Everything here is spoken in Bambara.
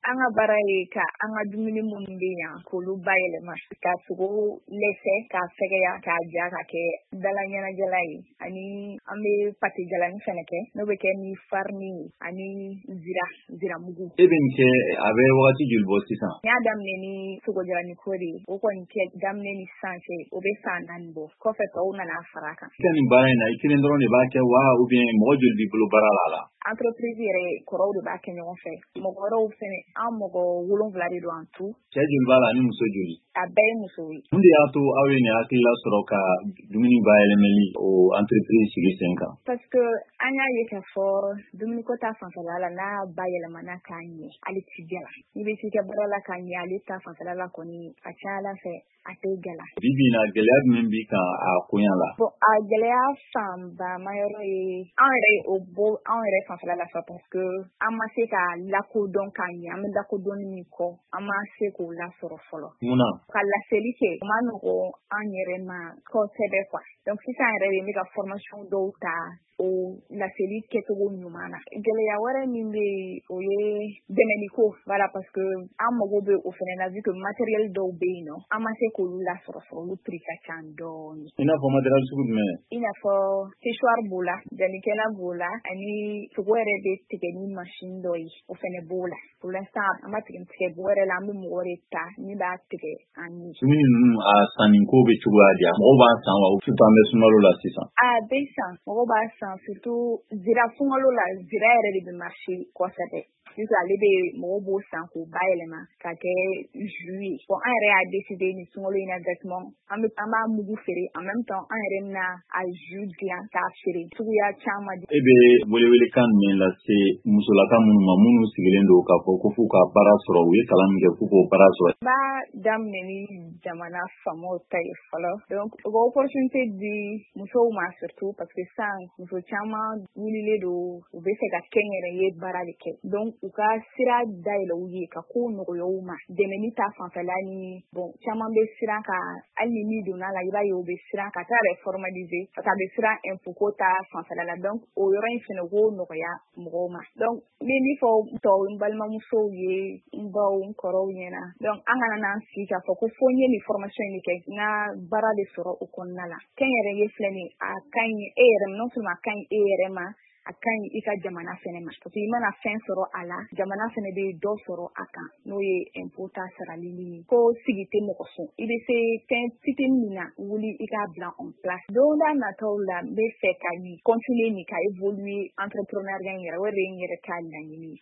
An ka baara ye ka an ka dumuni minnu bɛ yan k'olu bayɛlɛma, ka sogo lɛsɛ, k'a fɛgɛya, k'a ja ka kɛ dala ɲɛnajɛla ye. Ani an bɛ pâté jalani fɛnɛ kɛ, n'o bɛ kɛ ni farini ye ani ziramugu. E bɛ nin kɛ, a bɛ wagati joli bɔ sisan? N y'a daminɛ ni sogo jalani ko de ye. O kɔni kɛ daminɛ ni sisan cɛ, o bɛ san 4 bɔ. Kɔfɛ tɔw nana fara a kan. I ka nin baara in na, i kelen dɔrɔn de b'a kɛ wa, ou bien mɔgɔ joli b'i bolo baara la? Entreprise yɛrɛ kɔrɔw de b'a kɛ ɲɔgɔn fɛ. Mɔgɔ wɛrɛw fɛnɛ, an mɔgɔ 7 de don en tout. Cɛ joli b'a la ani muso joli? A bɛɛ ye muso ye. Mun de y'a to aw ye nin hakilila sɔrɔ ka dumuni bayɛlɛmali o entreprise sigi sen kan? Parce que an y'a ye k'a fɔ dumuniko ta fanfɛla la, n'a bayɛlɛmana k'a ɲɛ, ale ti gɛlɛ. N'i bɛ t'i ka baara la k'a ɲɛ, ale ta fanfɛla la kɔni, a ca Ala fɛ a tɛ gɛlɛ. Bi bi in na, gɛlɛya jumɛn b'i kan a koɲa la? Bon, a gɛlɛya fanba ma yɔrɔ ye an yɛrɛ o bɔ anw yɛrɛ fanfɛla la fa, parce que an ma se ka lakodɔn k'a ɲɛ. An bɛ lakodɔnni min kɔ, an ma se k'o lasɔrɔ fɔlɔ. Mun na? Ka laseli kɛ, o ma nɔgɔn an yɛrɛ ma kosɛbɛ quoi. Donc sisan yɛrɛ de, n bɛ ka formation dɔw ta o laseli kɛcogo ɲuman na. Gɛlɛya wɛrɛ min bɛ yen, o ye dɛmɛni ko, voilà, parce que an mago bɛ o fɛnɛ na, vu que matériel dɔw bɛ yen nɔ, an ma se k'olu lasɔrɔ fɔlɔ, olu prix ka ca dɔɔni. I n'a fɔ matériel sugu jumɛn? I n'a fɔ séchoir b'o la, janikɛla b'o la, ani sogo yɛrɛ bɛ tigɛ ni machine dɔ ye, o fɛnɛ b'o la. Pour l'instant, an ma tigɛ tigɛ bɔ yɛrɛ la, an bɛ mɔgɔ de ta min b'a tigɛ an ye. Dumuni ninnu, a sanni ko bɛ cogoya di? Mɔgɔw b'a san wa, surtout an bɛ sunkalo la sisan? A bɛ san, mɔgɔw b'a san, surtout zira. Sunkalo la, zira yɛrɛ de bɛ marcher kosɛbɛ, sisan ale bɛ mɔgɔw b'o san k'o bayɛlɛma ka kɛ jus ye. Bon, an yɛrɛ y'a décidé nin sunkalo in na exactement, an bɛ an b'a mugu feere, en même temps an yɛrɛ bɛna a jus dilan k'a feere suguya caman. E bɛ welewelekan jumɛn lase musolaka minnu ma, minnu sigilen don k'a fɔ ko f'u ka baara sɔrɔ, u ye kalan min kɛ k'u k'o baara sɔrɔ? N b'a daminɛ ni jamana faamaw ta ye fɔlɔ. Donc u ka opportunité di musow ma, surtout parce que sisan muso caman wulilen don, u bɛ fɛ ka kɛnyɛrɛye baara de kɛ. Donc u ka sira dayɛlɛ u ye, ka kow nɔgɔya u ma dɛmɛni ta fanfɛla ni. Bon, caman bɛ siran ka, hali ni min donna la, i b'a ye u bɛ siran ka taa yɛrɛ formaliser, parce que a bɛ siran impôt ko ta fanfɛla la. Donc o yɔrɔ in fɛnɛ, u k'o nɔgɔya mɔgɔw ma. Donc n bɛ min fɔ tɔw, n balimamusow ye, n baw, n kɔrɔw ɲɛna, donc an kana n'an sigi k'a fɔ ko fo n ye nin formation in de kɛ, n ka baara de sɔrɔ o kɔnɔna la. Kɛnyɛrɛye filɛ nin ye, a ka ɲi e yɛrɛ ma, non seulement a ka ɲi e yɛrɛ ma, a ka ɲi i ka jamana fɛnɛ ma, parce que i mana fɛn sɔrɔ a la, jamana fɛnɛ bɛ dɔ sɔrɔ a kan, n'o ye impôt ta sarali ye. Ko sigi tɛ mɔgɔ sɔn, i bɛ se fɛn fitinin min na, wuli i k'a bila en place. Don da nataw la, n bɛ fɛ ka nin continuer nin ka évoluer entrepreneuriat in yɛrɛ, o de ye n yɛrɛ ka laɲini ye.